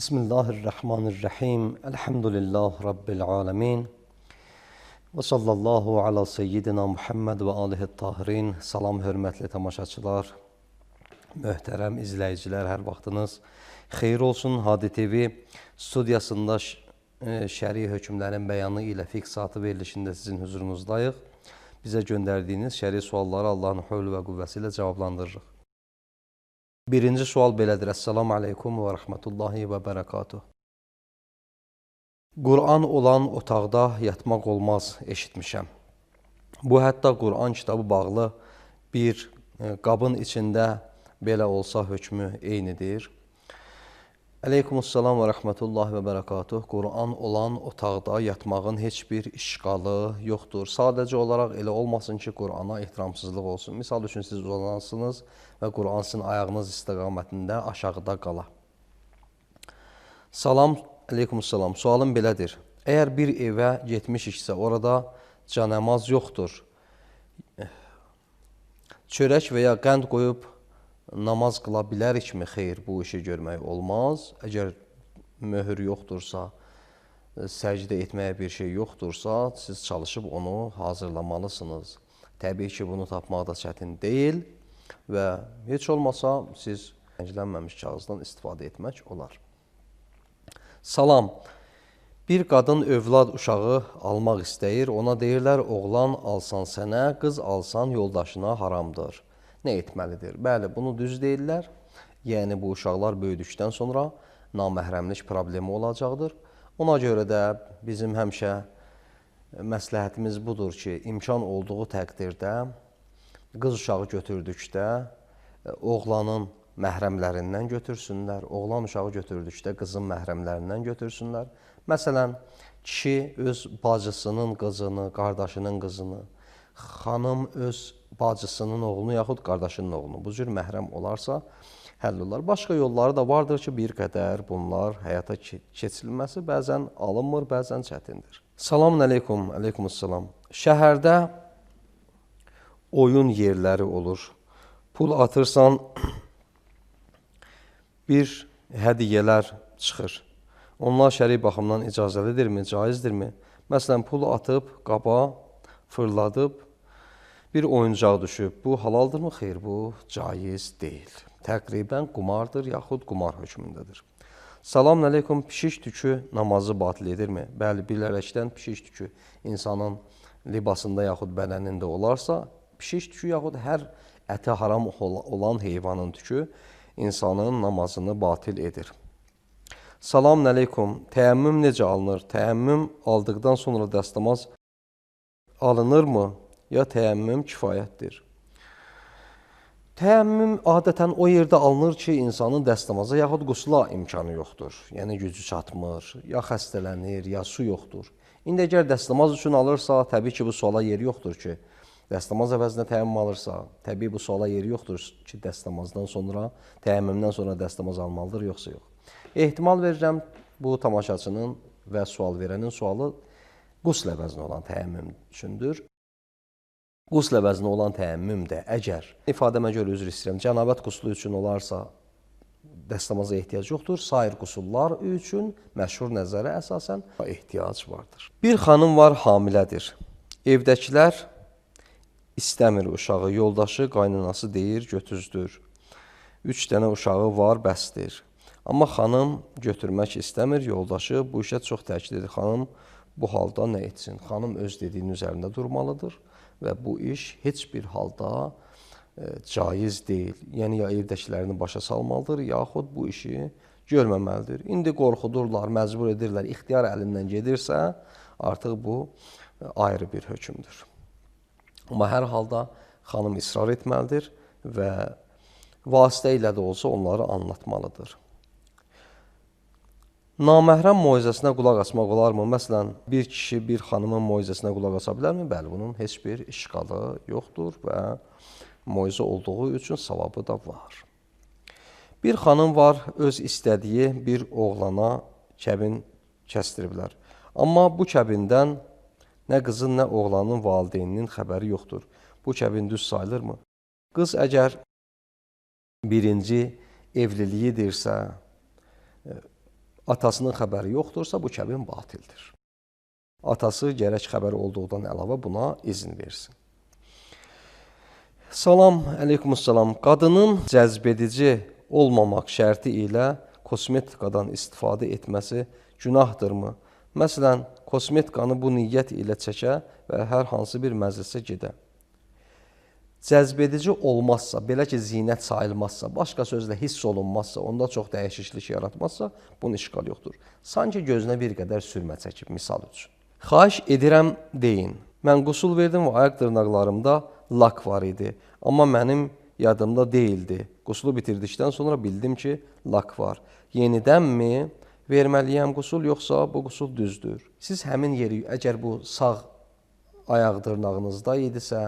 Bismillahirrahmanirrahim. Elhamdülillah Rabbil alemin. Və sallallahu ala seyyidina Muhammed və alihi tahirin. Salam, hörmətli tamaşaçılar, möhtərəm izləyicilər, hər vaxtınız xeyir olsun. Hadi TV studiyasında şəri hökmlərin bəyanı ilə fiqh saatı verilişində sizin huzurunuzdayıq. Bizə göndərdiyiniz şəri sualları Allahın hövlü və qüvvəsi ilə cavablandırırıq. Birinci sual belədir. Esselamu aleykum və rəhmətullahi və bərəkatuh. Qur'an olan otaqda yatmaq olmaz, eşitmişəm. Bu, hətta Qur'an kitabı bağlı bir qabın içində belə olsa hökmü eynidir. Əleykumussalam və rəhmətullahi və bərəkatuh. Qur'an olan otaqda yatmağın heç bir işğalı yoxdur. Sadəcə olaraq elə olmasın ki, Qur'ana ehtiramsızlıq olsun. Misal üçün, siz uzanansınız və Qur'an sizin ayağınız istiqamətində aşağıda qala. Salam, əleykumussalam. Sualım belədir. Əgər bir evə getmişiksə, orada canəmaz yoxdur. Çörək və ya qənd qoyub namaz qıla bilərikmi? Xeyr, bu işi görmək olmaz. Əgər möhür yoxdursa, səcdə etməyə bir şey yoxdursa, siz çalışıb onu hazırlamalısınız. Təbii ki, bunu tapmaq da çətin deyil və heç olmasa siz rənglənməmiş kağızdan istifadə etmək olar. Salam. Bir qadın övlad uşağı almaq istəyir. Ona deyirlər, oğlan alsan sənə, qız alsan yoldaşına haramdır. Nə etməlidir? Bəli, bunu düz deyirlər. Yəni, bu uşaqlar böyüdükdən sonra naməhrəmlik problemi olacaqdır. Ona görə də bizim həmişə məsləhətimiz budur ki, imkan olduğu təqdirdə qız uşağı götürdükdə oğlanın məhrəmlərindən götürsünlər, oğlan uşağı götürdükdə qızın məhrəmlərindən götürsünlər. Məsələn, kişi öz bacısının qızını, qardaşının qızını, xanım öz bacısının oğlunu yaxud qardaşının oğlunu bu cür məhrəm olarsa həll olar. Başqa yolları da vardır ki, bir qədər bunlar həyata keçirilməsi bəzən alınmır, bəzən çətindir. Salamun əleykum, əleykumussalam. Şəhərdə oyun yerləri olur. Pul atırsan, bir hədiyyələr çıxır. Onlar şəri baxımdan icazəlidirmi, caizdirmi? Məsələn, pul atıb, qaba fırladıb, bir oyuncaq düşüb. Bu halaldırmı? Xeyr, bu caiz deyil. Təqribən qumardır, yaxud qumar hökmündədir. Salamun əleykum, pişik tükü namazı batil edirmi? Bəli, bilərəkdən pişik tükü insanın libasında yaxud bədənində olarsa, pişik tükü yaxud hər əti haram olan heyvanın tükü insanın namazını batil edir. Salamun əleykum, təyəmmüm necə alınır? Təyəmmüm aldıqdan sonra dəstəmaz alınırmı? Ya təyəmmüm kifayətdir? Təyəmmüm adətən o yerdə alınır ki, insanın dəstəmaza yaxud qusula imkanı yoxdur. Yəni, gücü çatmır, ya xəstələnir, ya su yoxdur. İndi əgər dəstəmaz üçün alırsa, təbii ki, bu suala yeri yoxdur ki, dəstəmaz əvəzinə təyəmmüm alırsa, təbii bu suala yeri yoxdur ki, dəstəmazdan sonra, təyəmmümdən sonra dəstəmaz almalıdır, yoxsa yox. Ehtimal verirəm, bu tamaşaçının və sual verənin sualı qusl əvəzinə olan təyəmmüm üçündür. Qusl əvəzinə olan təyəmmüm də əgər, ifadəmə görə üzr istəyirəm, cənabət quslu üçün olarsa dəstəmaza ehtiyac yoxdur. Sair qusullar üçün məşhur nəzərə əsasən ehtiyac vardır. Bir xanım var, hamilədir. Evdəkilər istəmir uşağı, yoldaşı, qaynanası deyir, götüzdür. 3 dənə uşağı var, bəsdir. Amma xanım götürmək istəmir, yoldaşı bu işə çox təkid edir. Xanım bu halda nə etsin? Xanım öz dediyinin üzərində durmalıdır və bu iş heç bir halda caiz deyil. Yəni, ya evdəkilərini başa salmalıdır, yaxud bu işi görməməlidir. İndi qorxudurlar, məcbur edirlər, ixtiyar əlindən gedirsə, artıq bu ayrı bir hökmdür. Amma hər halda xanım israr etməlidir və vasitə ilə də olsa onları anlatmalıdır. Naməhrəm moizəsinə qulaq asmaq olarmı? Məsələn, bir kişi bir xanımın moizəsinə qulaq asa bilərmi? Bəli, bunun heç bir işğalı yoxdur və moizə olduğu üçün savabı da var. Bir xanım var, öz istədiyi bir oğlana kəbin kəsdiriblər. Amma bu kəbindən nə qızın, nə oğlanın valideyninin xəbəri yoxdur. Bu kəbin düz sayılırmı? Qız əgər birinci evliliyidirsə, atasının xəbəri yoxdursa, bu kəbin batildir. Atası gərək xəbəri olduğundan əlavə buna izin versin. Salam, əleykumussalam. Qadının cəzbedici olmamaq şərti ilə kosmetikadan istifadə etməsi günahdırmı? Məsələn, kosmetikanı bu niyyət ilə çəkə və hər hansı bir məclisə gedə. Cəzbedici olmazsa, belə ki, zinət sayılmazsa, başqa sözlə hiss olunmazsa, onda çox dəyişiklik yaratmazsa, bunun işğal yoxdur. Sanki gözünə bir qədər sürmə çəkib, misal üçün. Xahiş edirəm, deyin. Mən qusul verdim və ayaq dırnaqlarımda lak var idi. Amma mənim yadımda deyildi. Qusulu bitirdikdən sonra bildim ki, lak var. Yenidənmi verməliyəm qusul, yoxsa bu qusul düzdür? Siz həmin yeri, əgər bu sağ ayaq dırnağınızda idisə,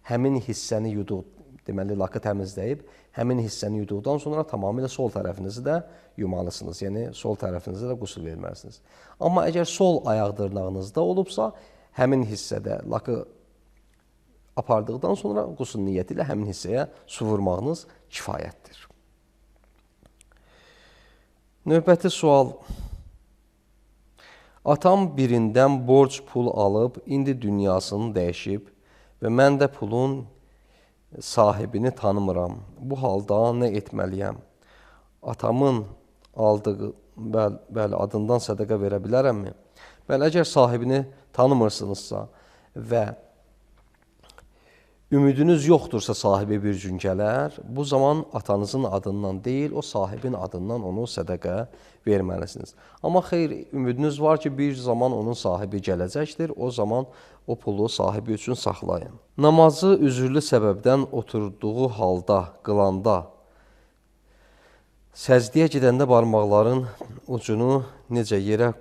həmin hissəni yudu, deməli lakı təmizləyib, həmin hissəni yuduqdan sonra tamamilə sol tərəfinizi də yumalısınız. Yəni, sol tərəfinizə də qusul verməlisiniz. Amma əgər sol ayaq dırnağınızda olubsa, həmin hissədə lakı apardıqdan sonra qusul niyyəti ilə həmin hissəyə su vurmağınız kifayətdir. Növbəti sual. Atam birindən borc pul alıb, indi dünyasını dəyişib və mən də pulun sahibini tanımıram. Bu halda nə etməliyəm? Atamın aldığı, bəli, adından sədəqə verə bilərəmmi? Bəli, əgər sahibini tanımırsınızsa və ümidiniz yoxdursa sahibi bir gün gələr, bu zaman atanızın adından deyil, o sahibin adından onu sədəqə verməlisiniz. Amma xeyr, ümidiniz var ki, bir zaman onun sahibi gələcəkdir, o zaman o pulu sahibi üçün saxlayın. Namazı üzürlü səbəbdən oturduğu halda, qılanda, səcdiyə gedəndə barmaqların ucunu necə yerə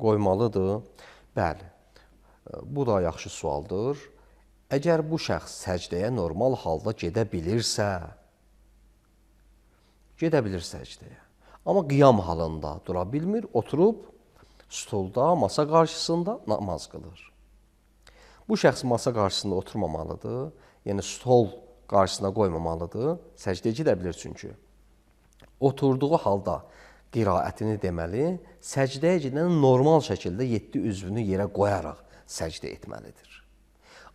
qoymalıdır? Bəli, bu da yaxşı sualdır. Əgər bu şəxs səcdəyə normal halda gedə bilirsə səcdəyə. Amma qiyam halında dura bilmir, oturub stolda, masa qarşısında namaz qılır. Bu şəxs masa qarşısında oturmamalıdır, yəni stol qarşısına qoymamalıdır, səcdəyə gedə bilir çünki. Oturduğu halda qiraətini deməli, səcdəyə gedən normal şəkildə 7 üzvünü yerə qoyaraq səcdə etməlidir.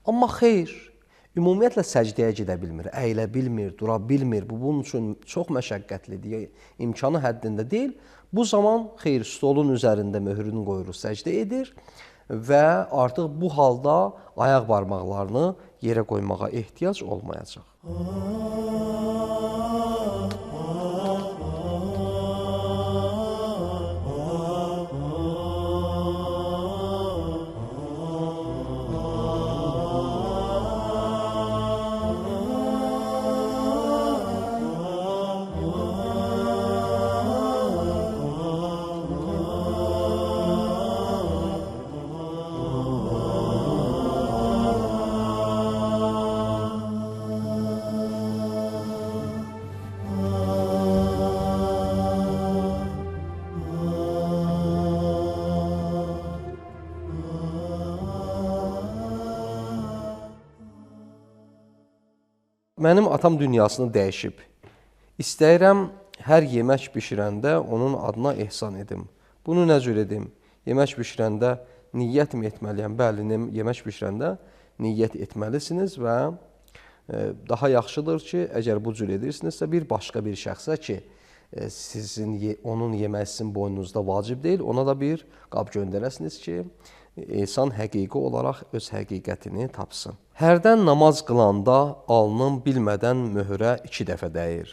Amma xeyr, ümumiyyətlə səcdəyə gedə bilmir, əyilə bilmir, dura bilmir, bu bunun üçün çox məşəqqətlidir, imkanı həddində deyil. Bu zaman xeyr, stolun üzərində möhrünü qoyur, səcdə edir və artıq bu halda ayaq barmaqlarını yerə qoymağa ehtiyac olmayacaq. Mənim atam dünyasını dəyişib. İstəyirəm, hər yemək bişirəndə onun adına ehsan edim. Bunu nə cür edim? Yemək bişirəndə niyyət mi etməliyəm? Bəli, yemək bişirəndə niyyət etməlisiniz və daha yaxşıdır ki, əgər bu cür edirsinizsə, bir başqa bir şəxsə ki, onun yemək sizin boynunuzda vacib deyil, ona da bir qab göndərəsiniz ki, ehsan həqiqi olaraq öz həqiqətini tapsın. Hərdən namaz qılanda alnım bilmədən möhrə 2 dəfə dəyir.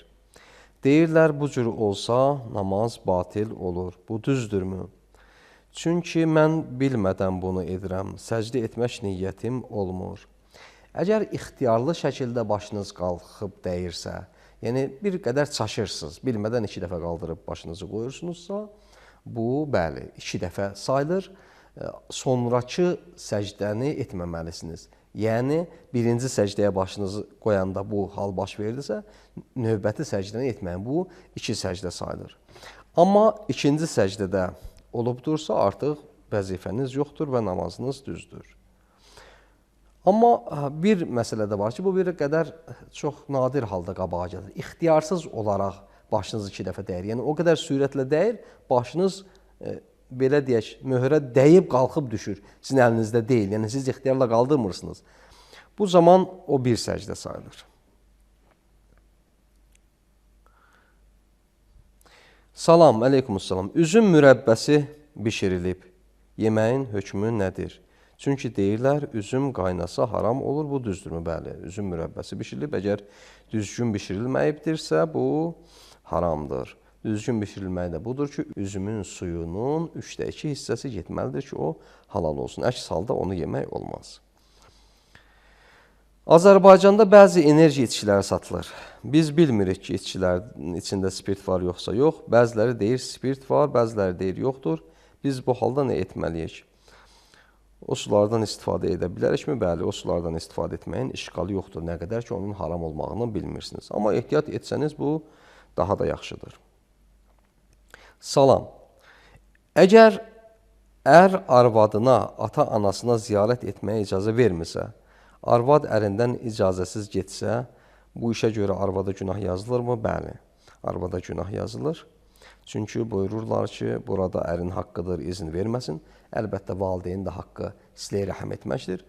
Deyirlər, bu cür olsa namaz batil olur. Bu düzdürmü? Çünki mən bilmədən bunu edirəm. Səcdə etmək niyyətim olmur. Əgər ixtiyarlı şəkildə başınız qalxıb dəyirsə, Yəni bir qədər çaşırsınız. Bilmədən 2 dəfə qaldırıb başınızı qoyursunuzsa, bu bəli 2 dəfə sayılır. Sonrakı səcdəni etməməlisiniz. Yəni birinci səcdəyə başınızı qoyanda bu hal baş verdisə, növbəti səcdəni etməyin. Bu 2 səcdə sayılır. Amma ikinci səcdədə olubdursa, artıq vəzifəniz yoxdur və namazınız düzdür. Amma bir məsələ də var ki, bu bir qədər çox nadir halda qabağa gəlir. İxtiyarsız olaraq başınız 2 dəfə dəyir. Yəni o qədər sürətlə dəyir, başınız belə deyək, möhrə dəyib qalxıb düşür. Sizin əlinizdə deyil. Yəni siz ixtiyarla qaldırmırsınız. Bu zaman o bir səcdə sayılır. Salam, əleykumussalam. Üzüm mürəbbəsi bişirilib. Yeməyin hökmü nədir? Çünki deyirlər, üzüm qaynasa haram olur, bu düzdürmü? Bəli, üzüm mürəbbəsi bişirilib. Əgər düzgün bişirilməyibdirsə, bu haramdır. Düzgün bişirilməyi də budur ki, üzümün suyunun 3/2 hissəsi getməlidir ki, o halal olsun. Əks halda onu yemək olmaz. Azərbaycanda bəzi enerji içkiləri satılır. Biz bilmirik ki, içkilərin içində spirt var yoxsa yox. Bəziləri deyir spirt var, bəziləri deyir yoxdur. Biz bu halda nə etməliyik? O sulardan istifadə edə bilərikmi? Bəli, o sulardan istifadə etməyin işğalı yoxdur. Nə qədər ki, onun haram olmağını bilmirsiniz. Amma ehtiyat etsəniz, bu daha da yaxşıdır. Salam. Əgər ər arvadına, ata-anasına ziyarət etməyə icazə vermirsə, arvad ərindən icazəsiz getsə, bu işə görə arvada günah yazılırmı? Bəli, arvada günah yazılır. Çünki buyururlar ki, burada ərin haqqıdır, izin verməsin. Əlbəttə, valideyn də haqqı silə-i rəhm etməkdir.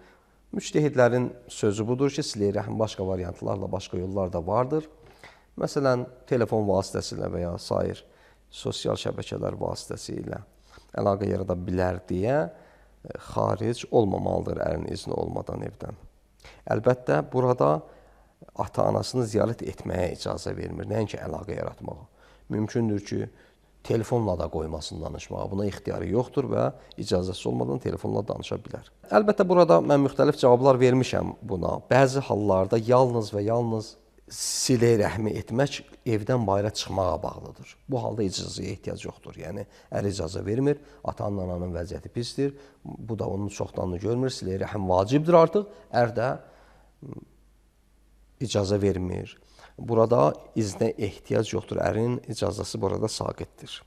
Müctəhidlərin sözü budur ki, silə-i rəhm başqa variantlarla, başqa yollar da vardır. Məsələn, telefon vasitəsilə və ya sair sosial şəbəkələr vasitəsilə əlaqə yarada bilər deyə xaric olmamalıdır ərin izni olmadan evdən. Əlbəttə, burada ata-anasını ziyarət etməyə icazə vermir, nəinki əlaqə yaratmağa. Mümkündür ki, telefonla da qoymasın danışmağa. Buna ixtiyarı yoxdur və icazəsi olmadan telefonla danışa bilər. Əlbəttə, burada mən müxtəlif cavablar vermişəm buna. Bəzi hallarda yalnız və yalnız silə-i rəhmi etmək evdən bayıra çıxmağa bağlıdır. Bu halda icazəyə ehtiyac yoxdur. Yəni, ər icazə vermir, ata-ananın vəziyyəti pisdir. Bu da onun çoxdanını görmür. Silə-i rəhm vacibdir artıq. Ər də icazə vermir. Burada iznə ehtiyac yoxdur. Ərin icazəsi burada saqitdir.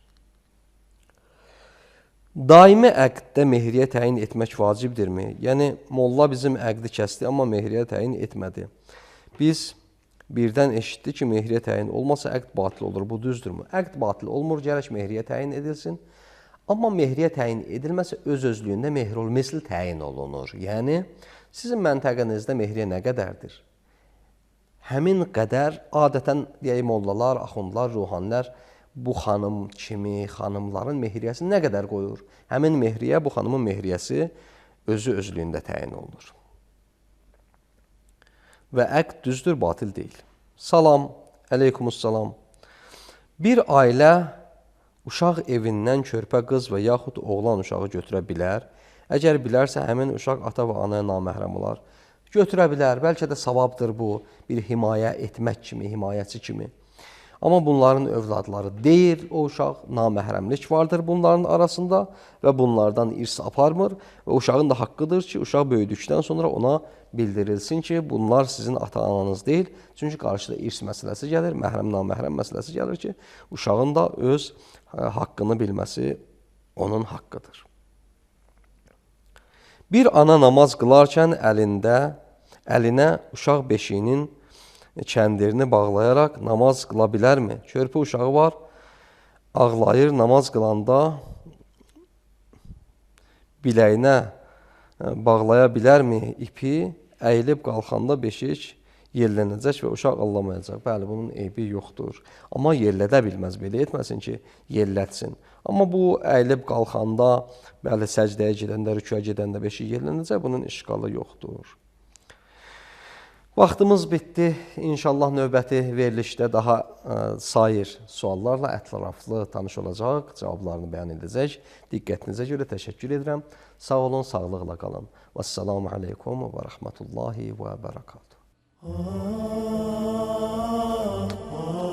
Daimi əqddə mehriyyə təyin etmək vacibdirmi? Yəni, molla bizim əqdi kəsdi, amma mehriyyə təyin etmədi. Biz birdən eşitdi ki, mehriyyə təyin olmasa əqd batil olur. Bu düzdürmü? Əqd batil olmur, gərək mehriyyə təyin edilsin. Amma mehriyyə təyin edilməsə öz-özlüyündə mehrul misl təyin olunur. Yəni, sizin məntəqənizdə mehriyyə nə qədərdir? Həmin qədər adətən deyək mollalar, axundlar, ruhanilər bu xanım kimi xanımların mehriyyəsini nə qədər qoyur? Həmin mehriyyə, bu xanımın mehriyyəsi özü-özlüyündə təyin olunur. Və əqd düzdür, batil deyil. Salam, əleykumussalam. Bir ailə uşaq evindən körpə qız və yaxud oğlan uşağı götürə bilər. Əgər bilərsə, həmin uşaq ata və anaya naməhrəm olar. Götürə bilər, bəlkə də savabdır bu, bir himayə etmək kimi, himayəçi kimi. Amma bunların övladları deyil, o uşaq naməhrəmlik vardır bunların arasında və bunlardan irs aparmır və uşağın da haqqıdır ki, uşaq böyüdükdən sonra ona bildirilsin ki, bunlar sizin ata-ananız deyil. Çünki qarşıda irs məsələsi gəlir, məhrəm-naməhrəm məsələsi gəlir ki, uşağın da öz haqqını bilməsi onun haqqıdır. Bir ana namaz qılarkən əlinə uşaq beşiyinin kəndirini bağlayaraq namaz qıla bilərmi? Körpə uşağı var, ağlayır, namaz qılanda biləyinə bağlaya bilərmi ipi? Əyilib qalxanda beşik yellənəcək və uşaq ağlamayacaq. Bəli, bunun eybi yoxdur. Amma yellədə bilməz, belə etməsin ki, yellətsin. Amma bu əyilib qalxanda, bəli, səcdəyə gedəndə, rüküyə gedəndə beşik yellənəcək, bunun işğalı yoxdur. Vaxtımız bitdi. İnşallah növbəti verilişdə daha sair suallarla ətraflı tanış olacaq, cavablarını bəyan edəcək. Diqqətinizə görə təşəkkür edirəm. Sağ olun, sağlıqla qalın. Vəssalamu aleykum və rəhmətullahi və bərəkatuhu. Ah, ah.